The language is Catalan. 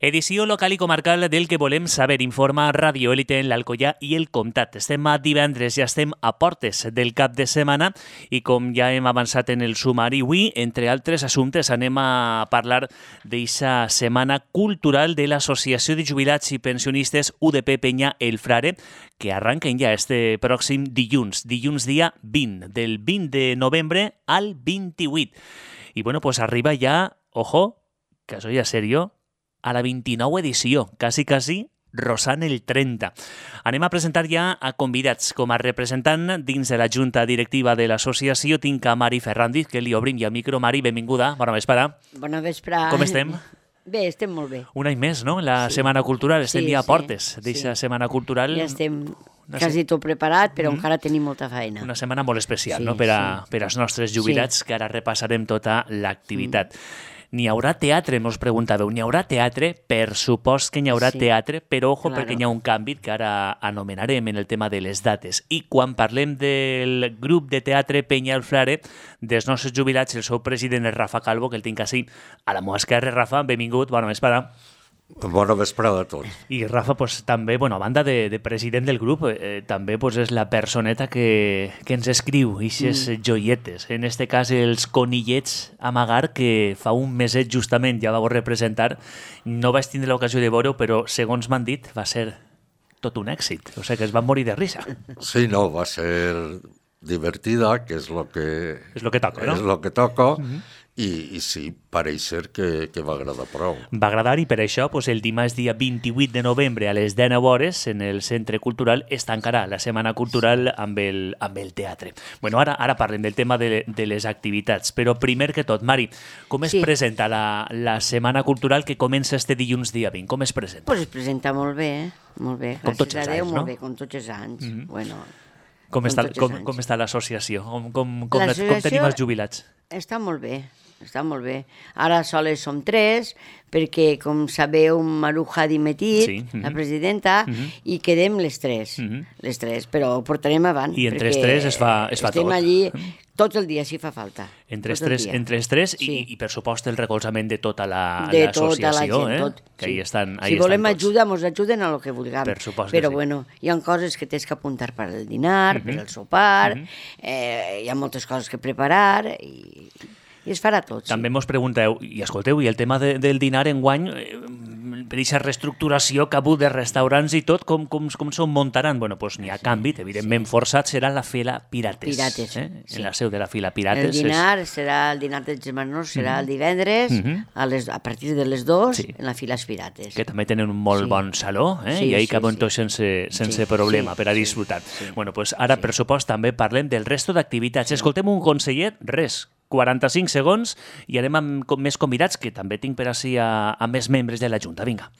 Edició local i comarcal del que volem saber. Informa Radio Élite en l'Alcoià i el Comtat. Estem a divendres, ja estem a portes del cap de setmana i com ja hem avançat en el sumari, avui, entre altres assumptes, anem a parlar d'eixa setmana cultural de l'Associació de Jubilats i Pensionistes UDP Penya El Frare, que arranquen ja este pròxim dilluns dia 20, del 20 de novembre al 28. I bueno, pues arriba ja, ojo, que això ja és serio, a la 29 edició, quasi, rozant el 30. Anem a presentar ja a convidats. Com a representant dins de la Junta Directiva de l'associació tinc a Mari Ferrandiz, que li obrim ja el micro. Mari, benvinguda. Bona vesprada. Bona vesprada. Com estem? Bé, estem molt bé. Un any més, no? La Setmana Cultural. Estem ja a portes d'eixa Setmana Cultural. Ja estem quasi tot preparat, però encara tenim molta feina. Una setmana molt especial, no? Per als nostres jubilats, que ara repassarem tota l'activitat. N'hi haurà teatre, mos preguntàveu. N'hi haurà teatre? Per supost que n'hi haurà teatre, però ojo, perquè n'hi ha un canvi que ara anomenarem en el tema de les dates. I quan parlem del grup de teatre Penya El Frare, dels nostres jubilats, el seu president és Rafa Calvo, que el tinc així a la meva esquerra. Rafa, benvingut, bona vesprada. Bona vesprada a tots. I Rafa, pues, també, bueno, a banda de president del grup, també pues, és la personeta que ens escriu eixes joietes. En este cas, els conillets Amagar, que fa un meset justament ja vau representar. No vaig tindre l'ocasió de veure-ho, però segons m'han dit, va ser tot un èxit. O sigui que es van morir de risa. Sí, no, va ser divertida, que és lo que... És lo que toca, no? És lo que toca. I sí, pareix ser que va agradar prou. Va agradar i per això pues, el dimarts dia 28 de novembre a les 19 hores en el Centre Cultural es tancarà la Setmana Cultural amb el teatre. Bueno, ara parlem del tema de les activitats, però primer que tot, Mari, com es presenta la Setmana Cultural que comença este dilluns dia 20? Com es presenta? Pues es presenta molt bé, molt bé. Com tots els anys, no? Molt bé, com tots els anys. Bueno, com està l'associació? Com tenim els jubilats? Està molt bé. Està molt bé. Ara soles som 3, perquè, com sabeu, Maruja ha dimitit, la presidenta, i quedem les 3. Les 3, però ho portarem avant. I entre els 3 es fa tot. Estem allí tot el dia, si fa falta. Entre els 3 i per supost, el recolzament de tota l'associació, que ahí estan. Si volem ajuda, ens ajuden a lo que vulguem. Per supost que però, bueno, hi ha coses que tens que apuntar per al dinar, per al sopar, hi ha moltes coses que preparar i es farà tot. També mos pregunteu, i escolteu, i el tema del dinar enguany, per aquesta reestructuració que ha hagut de restaurants i tot, com s'ho muntaran? Bueno, doncs n'hi ha canvi, evidentment forçat, serà la Fila Pirates. En la seu de la Fila Pirates. El dinar serà el dinar dels germans, serà el divendres, a partir de les 2, en la Fila Pirates. Que també tenen un molt bon saló, i ahí cabem tots sense problema per a disfrutar. Bueno, doncs ara, per supost, també parlem del resto d'activitats. Escoltem un conseller, 45 segons i anem amb més convidats, que també tinc per així a més membres de la Junta. Vinga.